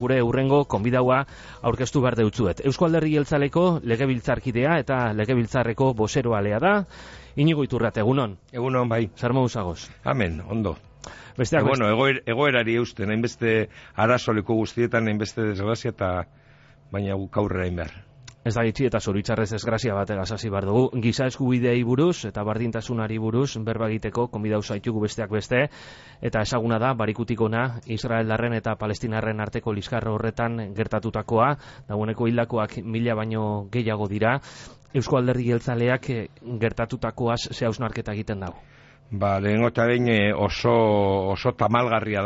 Gure urrengo konbidaua aurkeztu behar deutzuet. Eusko Alderdi Jeltzaleko legebiltzarkidea eta legebiltzarreko bozeroalea da. Inigo Iturrate, egunon. Egunon, bai. Zer moduz agoz? Amen, ondo. Besteak Bueno, egoerari eusten, hainbeste arazoliko guztietan, hainbeste desgrazia eta baina guk aurrera behar. Ez da gitxi eta zoritzarrez desgrazia bategaz hasi behar dugu. Giza eskubideei buruz eta bardintasunari buruz berba egiteko konbidau zaitugu besteak beste, eta ezaguna da barikutik ona Israeldarren eta Palestinarren arteko liskarro horretan gertatutakoa, dagoeneko hildakoak 1000 baino gehiago dira. Eusko Alderdi Jeltzaleak gertatutakoaz ze hausnarketa egiten dago? Lehengo eta behin oso tamalgarria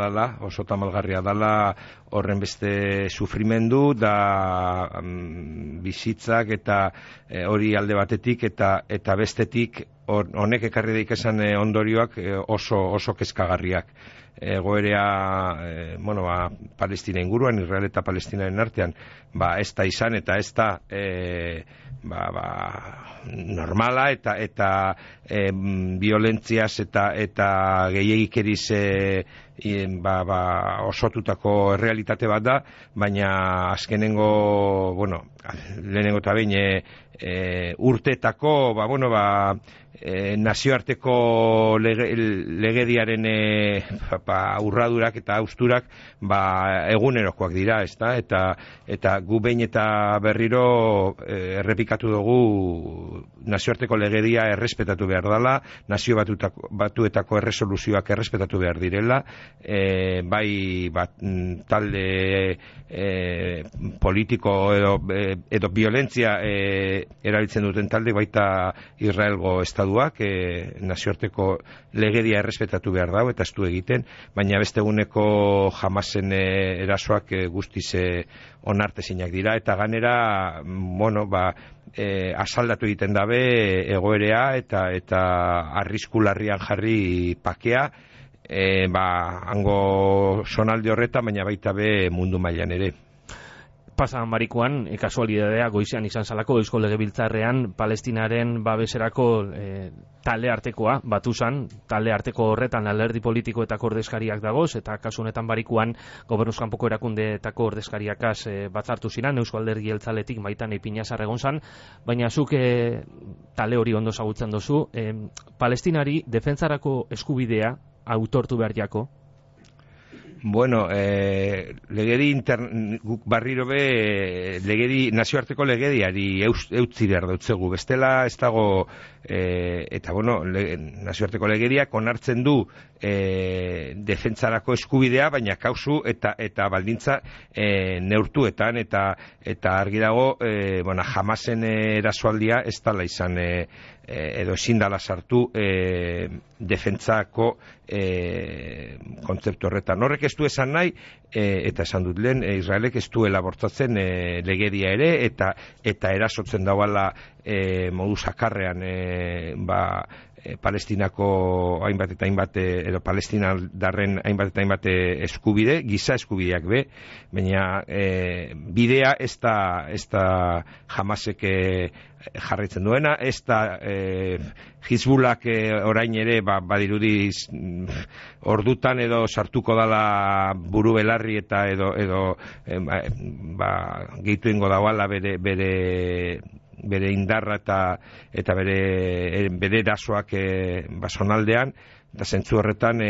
dala horren beste sufrimendu da bizitzak eta hori alde batetik eta bestetik honek ekarri daik esan ondorioak oso kezkagarriak. Egoerea, Palestina inguruan, Israel eta Palestinaren artean, ez da izan eta ez da normala eta violentziaz eta gehiagikeriz osotutako errealitate bat da, baina azkenengo, lehenengo eta behin urteetako, nazioarteko legediaren urradurak eta austurak egunerokoak dira, ezta? Eta gu behin eta berriro errepikatu dugu nazioarteko legedia errespetatu behar dela, nazio batuetako erresoluzioak errespetatu behar direla, talde politiko edo violentzia erabiltzen duten talde baita Israelgo estaduak nazioarteko legedia errespetatu behar dago eta ez du egiten, baina beste eguneko Hamasen erasoak guztiz onartezinak dira eta ganera asaldatu egiten dabe egoerea eta arrisku larrian jarri pakea hango sonalde horretan, baina baita be mundu mailan ere. Pasan barikuan, kasualidadea goizean izan zalako Eusko Legebiltzarrean Palestinaren babeserako talde artekoa batu zan, talde arteko horretan alderdi politiko eta ordezkariak dagoz, eta kasu honetan barikuan gobernuz kanpoko erakundeetako ordezkariakaz batzartu ziren Eusko Alderdi Jeltzaletik baitan Ipinazar egon zan, baina zuk talde hori ondo zagutzen dozu, Palestinari defentsarako eskubidea autortu behar jako? Legedi guk barriro be nazioarteko legediari eutzi behar dautzegu. Bestela ez dago nazioarteko legediak onartzen du defentsarako eskubidea, baina kausu eta baldintza neurtuetan eta argi dago Hamasen erasoaldia ez dala izan edo ezin dala sartu defentsako kontzeptu horretan. Horrek ez du esan nahi, eta esan dut lehen, Israelek ez duela bortzatzen legedia ere, eta erasotzen dauala modu sakarrean Palestinako hainbat eta hainbat edo Palestinarren hainbat eta hainbat eskubide, giza eskubideak be, baina bidea ez da Hamasek jarraitzen duena, ez da Hizbulak orain ere badirudi ordutan edo sartuko dala buru belarri eta edo gehitu ingo dauala bere indarra eta bere erasoak zonaldean, eta zentzu horretan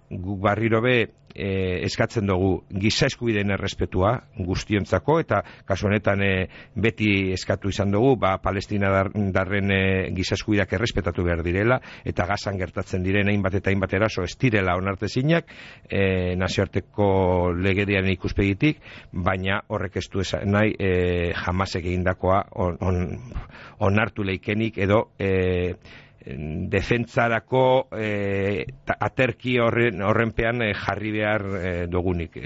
guk barriro be eskatzen dugu giza eskubideen errespetua guztiontzako, eta kasu honetan beti eskatu izan dugu Palestinadarren giza eskubideak errespetatu behar direla, eta Gazan gertatzen diren hainbat eta hainbat eraso ez direla onartezinak nazioarteko legediaren ikuspegitik, baina horrek ez du nahi Hamasek egindakoa onartu leikenik edo defentsarako aterki horrenpean jarri behar dugunik.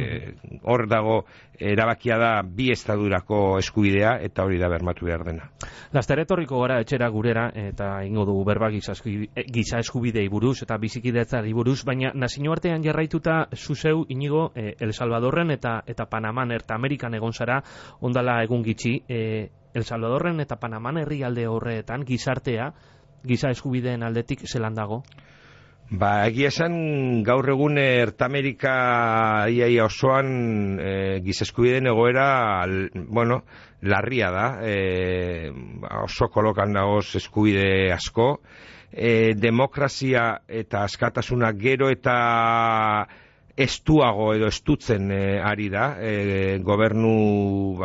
Hor dago erabakia da bi estadurako eskubidea eta hori da bermatu behar dena. Laster etorriko gara etxera gurera eta ingo dugu berba giza eskubidei buruz eta bizikidetzari buruz, baina nazioartean jarraituta zuzeu Inigo El Salvadorren eta Panaman eta Amerikan egon zara ondala egun gitxi. El Salvadorren eta Panaman herrialde horretan gizartea giza eskubideen aldetik zelan dago? Egia esan gaur egun Ertamerika iaia osoan giza eskubideen egoera, larria da, oso kolokan dagoz eskubide asko, demokrazia eta askatasuna gero eta estuago edo estutzen ari da, gobernu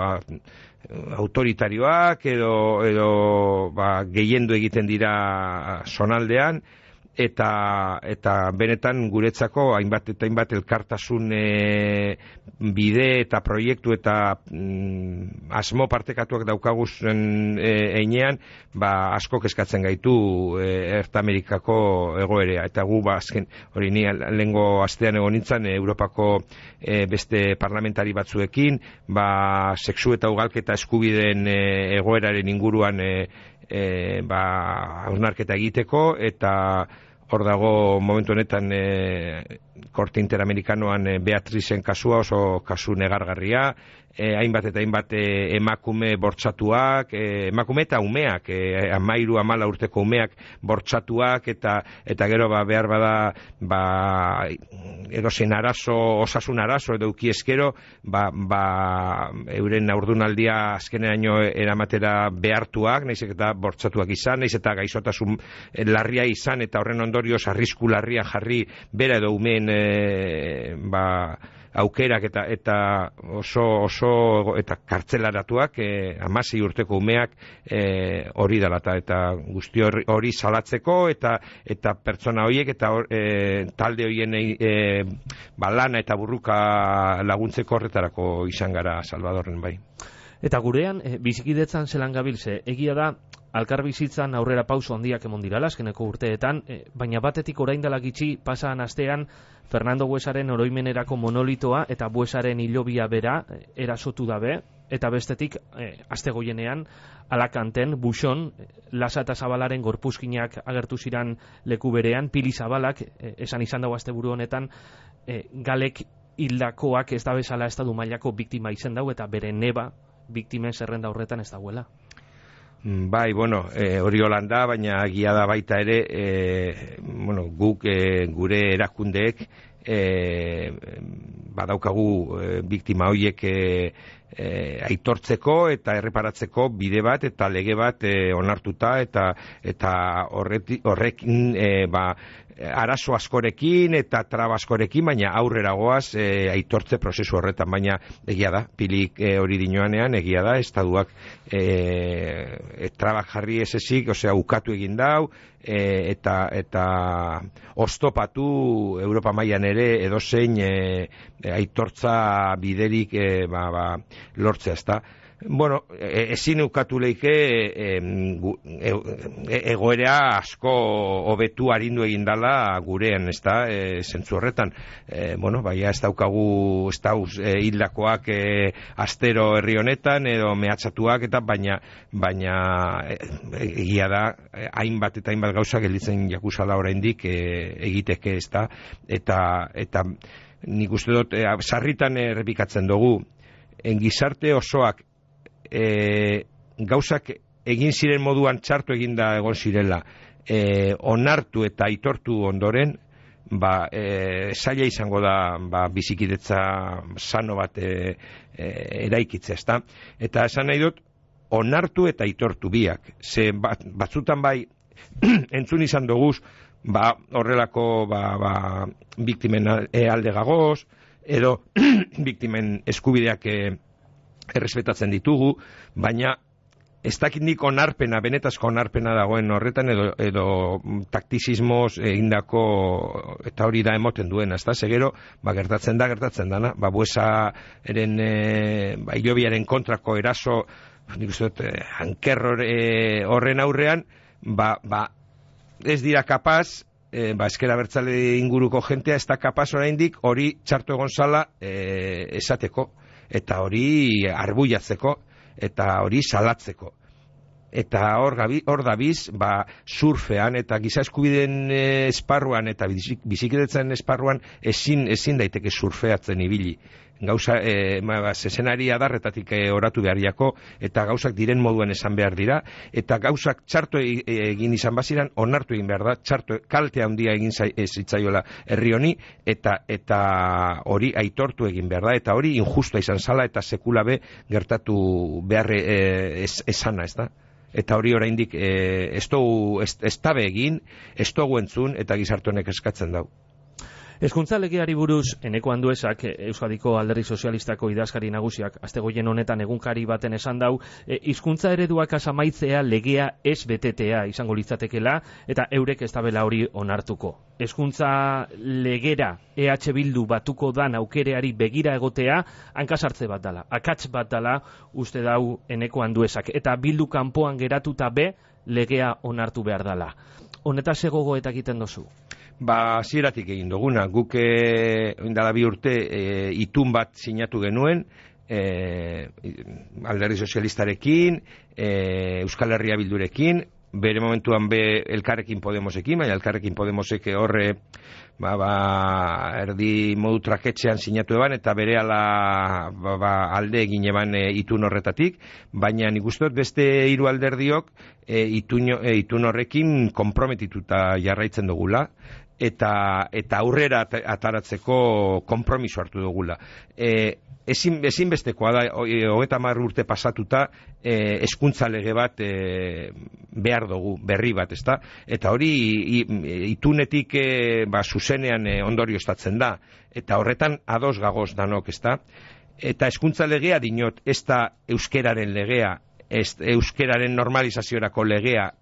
autoritarioak edo gehiendu egiten dira zonaldean, eta benetan guretzako hainbat elkartasun bide eta proiektu eta asmo partekatuak daukaguzen einean, asko kezkatzen gaitu Ertamerikako egoerea, eta gu azken hori ni lehengo astean egon nintzen Europako beste parlamentari batzuekin, sexu eta ugalketa eskubideen egoeraren inguruan hausnarketa egiteko, eta hor dago momentu honetan Korte Interamerikanoan Beatrizen kasua, oso kasu negargarria, hainbat eta hainbat emakume bortxatuak, emakume eta umeak, 13-14 urteko umeak bortxatuak, eta gero behar bada edozein arazo, osasun arazo edo ukieskero, euren aurdunaldia azkeneaino eramatera behartuak, nahiz eta bortxatuak izan, nahiz eta gaixotasun larria izan, eta horren ondorioz arrisku larria jarri bera edo umeen aukerak eta oso eta kartzelaratuak, 16 urteko umeak hori dela, eta guzti hori salatzeko, eta pertsona horiek eta talde horien lana eta burruka laguntzeko horretarako izan gara Salvadorren bai. Eta gurean, bizikidetzan zelan gabilze, egia da, alkar bizitzan aurrera pauso handiak emon dirala azkeneko urteetan, baina batetik orain dela gitxi pasaan astean Fernando Buesaren oroimenerako monolitoa eta Buesaren hilobia bera erasotu dabe, eta bestetik aste goienean Alakanten, Buxon, Lasa eta Zabalaren gorpuzkinak agertu ziran leku berean, Pili Zabalak, esan izan dago asteburu honetan, galek hildakoak ez da bezala estadu mailako biktima izen dau, eta bere neba biktimen zerrenda horretan ez dagoela. Bai, hori holanda, baina egia da baita ere, guk gure erakundeek badaukagu biktima horiek aitortzeko eta erreparatzeko bide bat eta lege bat onartuta, eta horrekin arazo askorekin eta traba askorekin, baina aurrera goaz aitortze prozesu horretan, baina egia da, Pilik hori dinoanean, egia da, estaduak trabak jarri ezik, ukatu egin dau, eta oztopatu Europa mailan ere edozein aitortza biderik lortzea, ezta. Ezin ukatu leike egoera asko hobetu arindu egin dala gurean, ezta, zentzu horretan. Ez daukagu hildakoak astero herri honetan, edo mehatxatuak, eta baina egia da, hainbat eta hainbat gauza gelditzen jakuzala oraindik egiteke, ezta, eta nik uste dut, sarritan errepikatzen dugu, gizarte osoak gauzak egin ziren moduan txartu eginda egon zirela, onartu eta aitortu ondoren, zaila izango da bizikidetza sano bat eraikitzea, ezta? Eta esan nahi dut, onartu eta aitortu biak. Ze batzutan bai entzun izan doguz, horrelako biktimen alde gagoz, edo biktimen eskubideak errespetatzen ditugu, baina ez dakit onarpena, benetazko onarpena dagoen horretan, edo taktizismoz egindako, eta hori da emoten duena, ez da, segero, gertatzen dana, Buesaren hilobiaren kontrako eraso, nik uste dut, hanker horren aurrean, ez dira kapaz, eskera bertzale inguruko jentea ez da kapaz oraindik hori txartu egon zala esateko, eta hori arbuiatzeko, eta hori salatzeko. Eta hor dabiz, surfean eta giza eskubideen esparruan eta bizikidetzen esparruan ezin daiteke surfeatzen ibili. gauza zezenari adarretatik oratu beharriako, eta gauzak diren moduen esan behar dira, eta gauzak txarto egin izan baziran, onartu egin behar da, txarto kalte handia egin zitzaiola herri honi, eta hori aitortu egin behar da, eta hori injustua izan zala, eta sekula be gertatu behar esana, ez da? Eta hori oraindik ez dabe egin, ez dugu entzun, eta gizarte honek eskatzen dau. Hezkuntza legeari buruz, Eneko Anduezak, Euskadiko Alderdi Sozialistako idazkari nagusiak, astegoien honetan egunkari baten esan dau, hizkuntza ereduak asamaitzea legea ez betetea izango litzatekela, eta eurek ez dabela hori onartuko. Hezkuntza legera EH Bildu batuko dan aukereari begira egotea, hankasartze bat dala, akats bat dala, uste dau Eneko Anduezak, eta Bildu kanpoan geratuta be, legea onartu behar dala. Honetaz egogoetak egiten dozu? Hasieratik egin duguna, guk indala 2 urte itun bat sinatu genuen, Alderdi Sozialistarekin, Euskal Herria Bildurekin, bere momentuan Elkarrekin Podemosekin, baina Elkarrekin Podemosek horre erdi modu traketxean sinatu eban, eta bere alde egin eban itun horretatik, baina nik uste dut beste 3 alderdiok itun horrekin konprometituta jarraitzen dugula, eta aurrera ataratzeko konpromiso hartu dugula. Ezinbestekoa da, 30 urte pasatuta, hezkuntza lege bat behar dugu, berri bat, ezta? Eta hori itunetik zuzenean ondorioztatzen da, eta horretan ados gagoz danok, ezta? Eta hezkuntza legea dinot, ez da euskeraren legea, euskeraren normalizaziorako legea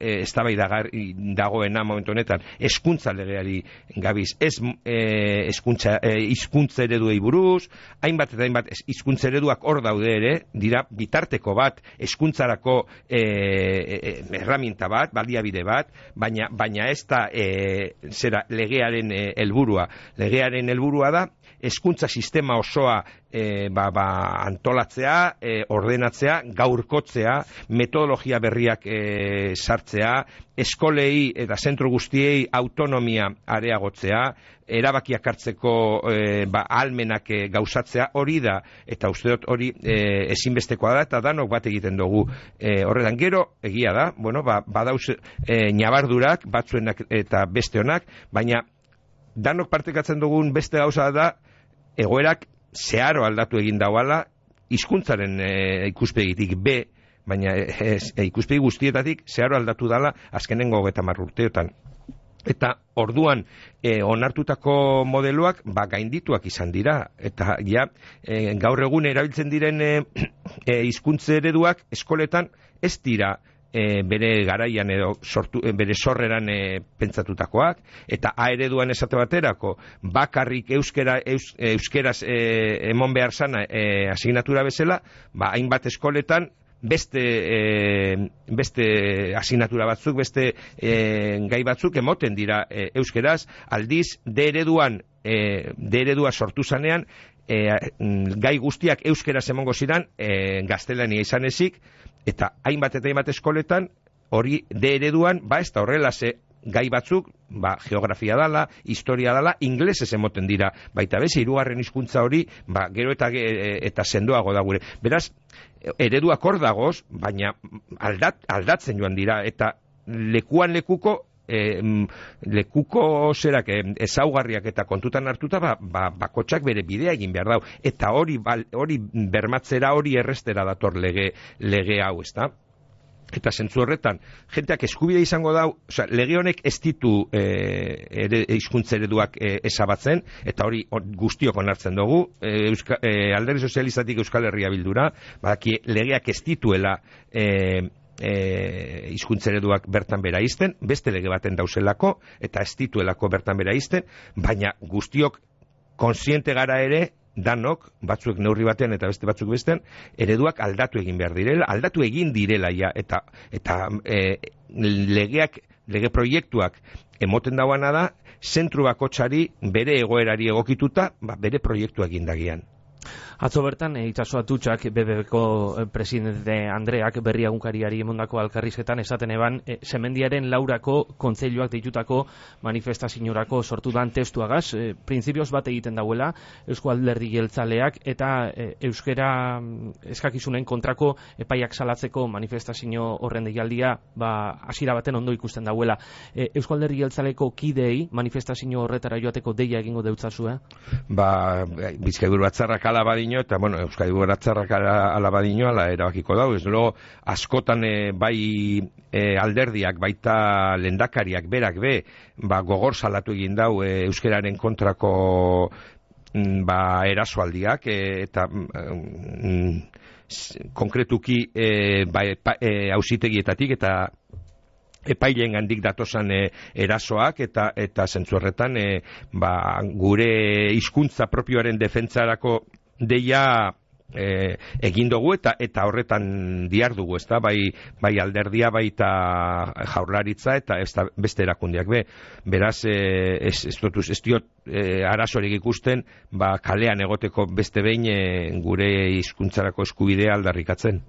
dagoena momentu honetan, hezkuntza legeari gabiz, ez hizkuntza ereduei buruz, hainbat eta hainbat hizkuntza ereduak hor daude ere, dira bitarteko bat, hezkuntzarako herramienta bat, baliabide bat, baina ez da legearen helburua. Legearen helburua da hezkuntza sistema osoa antolatzea, ordenatzea, gaurkotzea, metodologia berriak sartzea, eskolei eta zentro guztiei autonomia areagotzea, erabakiak hartzeko ahalmenak gauzatzea, hori da, eta uste dut hori ezinbestekoa da, eta danok bat egiten dugu horretan. Gero, egia da, badauz nabardurak, batzuenak eta beste honak, baina danok partekatzen dugun beste gauza da, egoerak zeharo aldatu egin dauala, hizkuntzaren ikuspegitik baina ikuspegi guztietatik zeharo aldatu dala azkenengo 30 urteotan. Eta orduan onartutako modeloak gaindituak izan dira, eta gaur egun erabiltzen diren hizkuntza ereduak eskoletan ez dira bere garaian edo bere sorreran pentsatutakoak, eta A ereduan esate baterako bakarrik euskeraz emon behar zana asignatura bezala, hainbat eskoletan beste asignatura batzuk, beste gai batzuk emoten dira euskeraz, aldiz D eredua sortu zanean gai guztiak euskeraz emongo ziren gaztelania izan ezik, eta hainbat eta hainbat eskoletan hori D ereduan ez da horrela, gai batzuk geografia dala, historia dala, inglesez emoten dira, baita bez, 3. hizkuntza hori gero eta sendoago da gure. Beraz, ereduak hor dagoz, baina aldatzen joan dira, eta lekuan lekuko ezaugarriak eta kontutan hartuta bakotxak bere bidea egin behar dau, eta hori bermatzera, hori errestera dator lege hau, ezta? Eta zentzu horretan, jenteak eskubide izango dau, lege honek ez ditu hizkuntza ereduak ezabatzen, eta hori guztiok onartzen dugu, Alderdi Sozialistatik Euskal Herria Bildura, legeak ez dituela hizkuntza ereduak bertan bera izten, beste lege baten dauzelako, eta ez dituelako bertan bera izten, baina guztiok konsiente gara ere, danok, batzuek neurri batean eta beste batzuk bestean, ereduak aldatu egin behar direla, aldatu egin direla eta lege proiektuak emoten dauana da, zentru bakotsari bere egoerari egokituta, bere proiektua egin dagian. Atzo bertan, Itxaso Atutxak, BBBko presidente Andreak berri egunkariari emondako alkarrizketan esaten eban, Semendiaren Laurako kontseiluak deitutako manifestaziorako sortu dan testuagaz, printzipioz bat egiten dauela, Eusko Alderdi Jeltzaleak eta euskera eskakizunen kontrako epaiak salatzeko manifestazio horren deialdia, hasiera baten ondo ikusten dauela. Eusko Alderdi Jeltzaleko kideei manifestazio horretara joateko deia egingo deutzazu, Bizkaiburu Batzarrak ala badino, eta, Euskadi Batzarrak ala badino, ala erabakiko dau, ez dugu, askotan bai alderdiak, baita lehendakariak, berak gogor salatu egin dau euskeraren kontrako erasoaldiak, eta konkretuki auzitegietatik eta epaileen gandik datosan erasoak eta zentzu horretan gure hizkuntza propioaren defentsarako deia egin dugu eta horretan dihardugu, ezta, bai alderdia, baita jaurlaritza eta beste erakundeak beraz ez diot arazorik ikusten kalean egoteko beste behin gure hizkuntzarako eskubidea aldarrikatzen.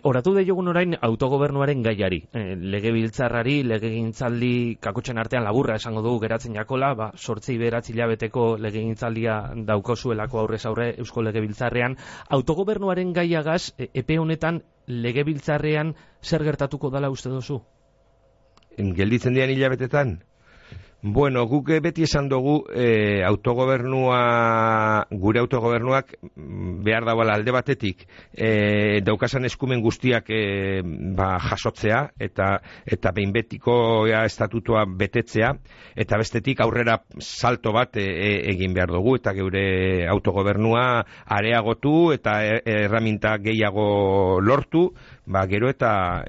Oratu diogun orain autogobernuaren gaiari, legebiltzarrari, legegintzaldi kakotxen artean laburra esango dugu geratzen jakola, 8-9 hilabeteko legegintzaldia daukozuelako aurrez aurre Eusko Legebiltzarrean. Autogobernuaren gaiagaz, epe honetan legebiltzarrean zer gertatuko dala uste duzu? Gelditzen dian hilabetetan? Guk beti esan dugu gure autogobernuak behar dauala alde batetik daukasan eskumen guztiak jasotzea eta behin betiko estatutua betetzea, eta bestetik aurrera salto bat egin behar dugu eta gure autogobernua areagotu eta erraminta gehiago lortu, gero eta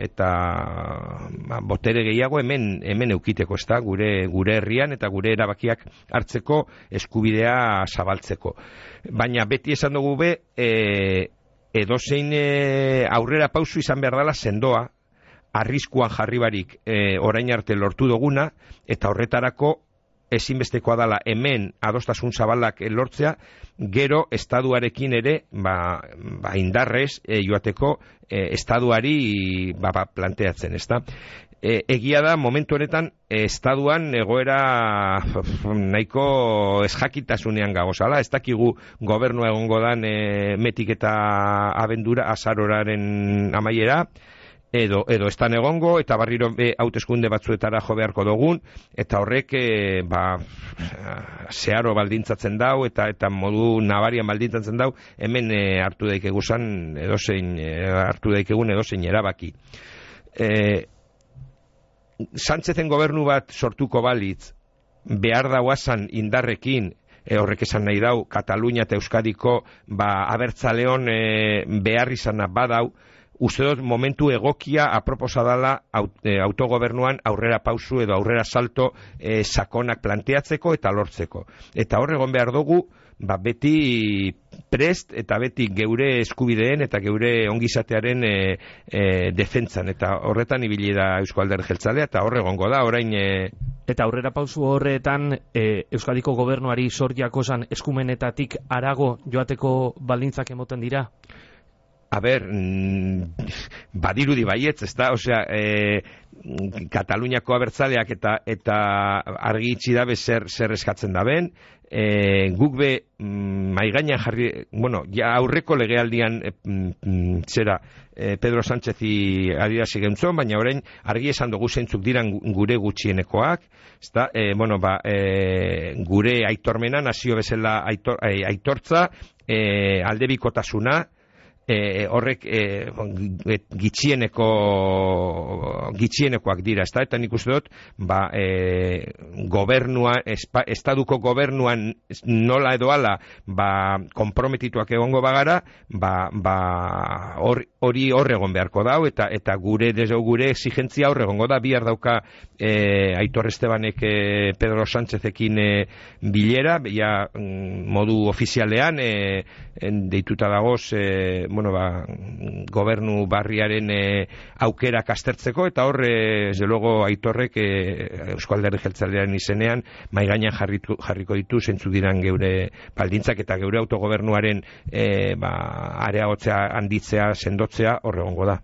botere gehiago hemen eukiteko, ezta, gure herrian eta gure erabakiak hartzeko eskubidea zabaltzeko. Baina beti esan dugu edozein aurrera pausu izan behar dela sendoa, arriskuan jarri barik orain arte lortu duguna, eta horretarako ezinbestekoa dela hemen adostasun zabalak lortzea, gero estaduarekin ere indarrez joateko estaduari planteatzen, ezta? Egia da, momentu honetan, estaduan egoera nahiko ezjakitasunean gagozala, ez dakigu gobernua egongo dan metik eta abendura azaroraren amaiera, edo estan egongo, eta barriro hauteskunde batzuetara jo beharko dugun, eta horrek zeharo baldintzatzen dau, eta modu nabarian baldintzatzen dau, hemen hartu daikeguzan edozein erabaki. Sánchezen gobernu bat sortuko balitz, behar dauazan indarrekin, horrek esan nahi dau, Katalunia eta Euskadiko abertzaleon behar izana badau, uste dut momentu egokia aproposa dela autogobernuan aurrera pausu edo aurrera salto sakonak planteatzeko eta lortzeko. Eta horregon behar dugu, beti prest eta beti geure eskubideen eta geure ongizatearen defentsan, eta horretan ibili da Eusko Alderdi Jeltzalea, eta horregongo da orain. Eta aurrera pausu horretan Euskadiko gobernuari zor jakozan eskumenetatik harago joateko baldintzak emoten dira? Badirudi baietz, ez da, Kataluniako abertzaleak eta argi itxi dabe zer eskatzen daben, guk maigainan jarri, aurreko legealdian Pedro Sánchezi adierazi gentzon, baina orain argi esan dugu zeintzuk diran gure gutxienekoak, ezta, gure aitormena, nazio bezala aitortza, aldebikotasuna, horrek gitxienekoak dira, eta nik uste dut estaduko gobernuan nola edo ala konprometituak egongo bagara, hori horregon beharko dau, eta gure exigentzia horregongo da. Bihar dauka Aitor Estebanek Pedro Sánchezekin bilera, modu ofizialean deituta dagoz gobernu barriaren aukerak aztertzeko, eta hor, desde luego, Aitorrek Eusko Alderdi Jeltzalearen izenean mai gainean jarriko ditu zeintzuk diran geure baldintzak eta geure autogobernuaren areagotzea, handitzea, sendotzea hor egongo da.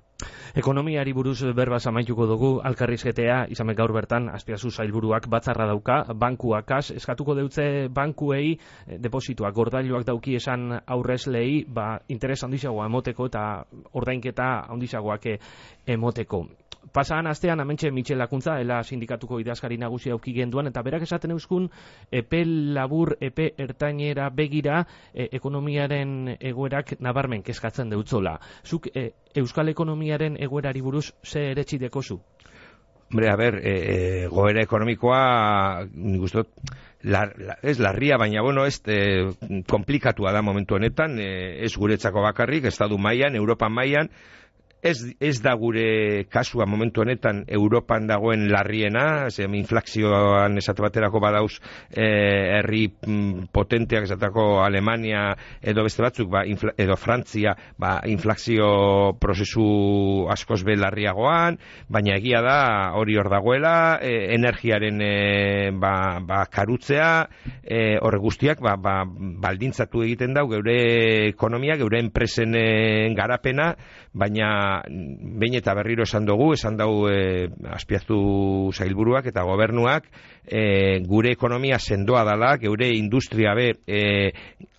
Ekonomiari buruz berbaz amaituko dugu, elkarrizketea izan gaur bertan Azpiazu sailburuak batzarra dauka, bankuakaz, eskatuko deutze bankuei deposituak, gordailuak dauki esan aurrezlei, interes handizagoa emoteko eta ordainketa handizagoak emoteko. Pasadan astean hementxe Michel Lakuntza, ela sindikatuko idazkari nagusia auki genduan, eta berak esaten euskun epe labur, epe ertainera begira ekonomiaren egoerak nabarmen kezkatzen deutzola. Zuk Euskal ekonomiaren egoerari buruz ze eretsi dekozu? Hombre, a ber, goera ekonomikoa, nik uste dut, ez larria, baina, ez komplikatua da momentu honetan, ez guretzako bakarrik, estatu mailan, Europan mailan, ez da gure kasua momentu honetan Europan dagoen larriena, inflazioan esate baterako badauz herri potenteak esateko Alemania edo beste batzuk, edo Frantzia, inflazio prozesu askoz be larriagoan, baina egia da hori hor dagoela, energiaren karutzea, horre guztiak baldintzatu egiten dau geure ekonomia, geure enpresen garapena, baina behin eta berriro esan dugu Azpiazu sailburuak eta gobernuak gure ekonomia sendoa dala, geure industria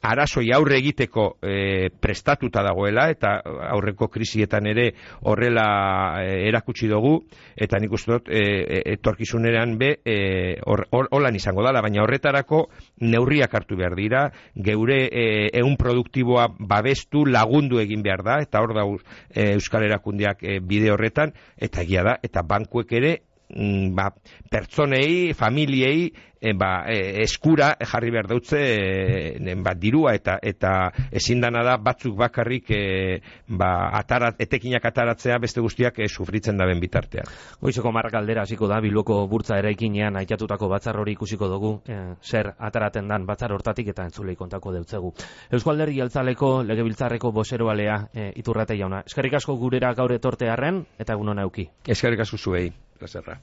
arazoi aurre egiteko prestatuta dagoela, eta aurreko krisietan ere horrela erakutsi dugu, eta nik uste dut etorkizunean holan izango dala, baina horretarako neurriak hartu behar dira, geure ehun produktiboa babestu, lagundu egin behar da, eta hor da Euskal Erakundeak bide horretan, eta egia da, eta bankuek ere pertsonei, familiei eskura jarri behar dautze dirua, eta ezin dana da batzuk bakarrik etekinak ataratzea beste guztiak sufritzen daben bitartean. Goizeko marrak aldera hasiko da, Bilboko burtsa eraikinean aitatutako batzar hori ikusiko dugu, zer ataraten dan batzar hortatik eta entzulei kontako deutzegu. Eusko Alderdi Jeltzaleko legebiltzarreko bozeroalea Iturrate jauna. Eskerrik asko gurera gaur etortearren eta egun ona eduki. Eskerrik asko zuei. Plazerra.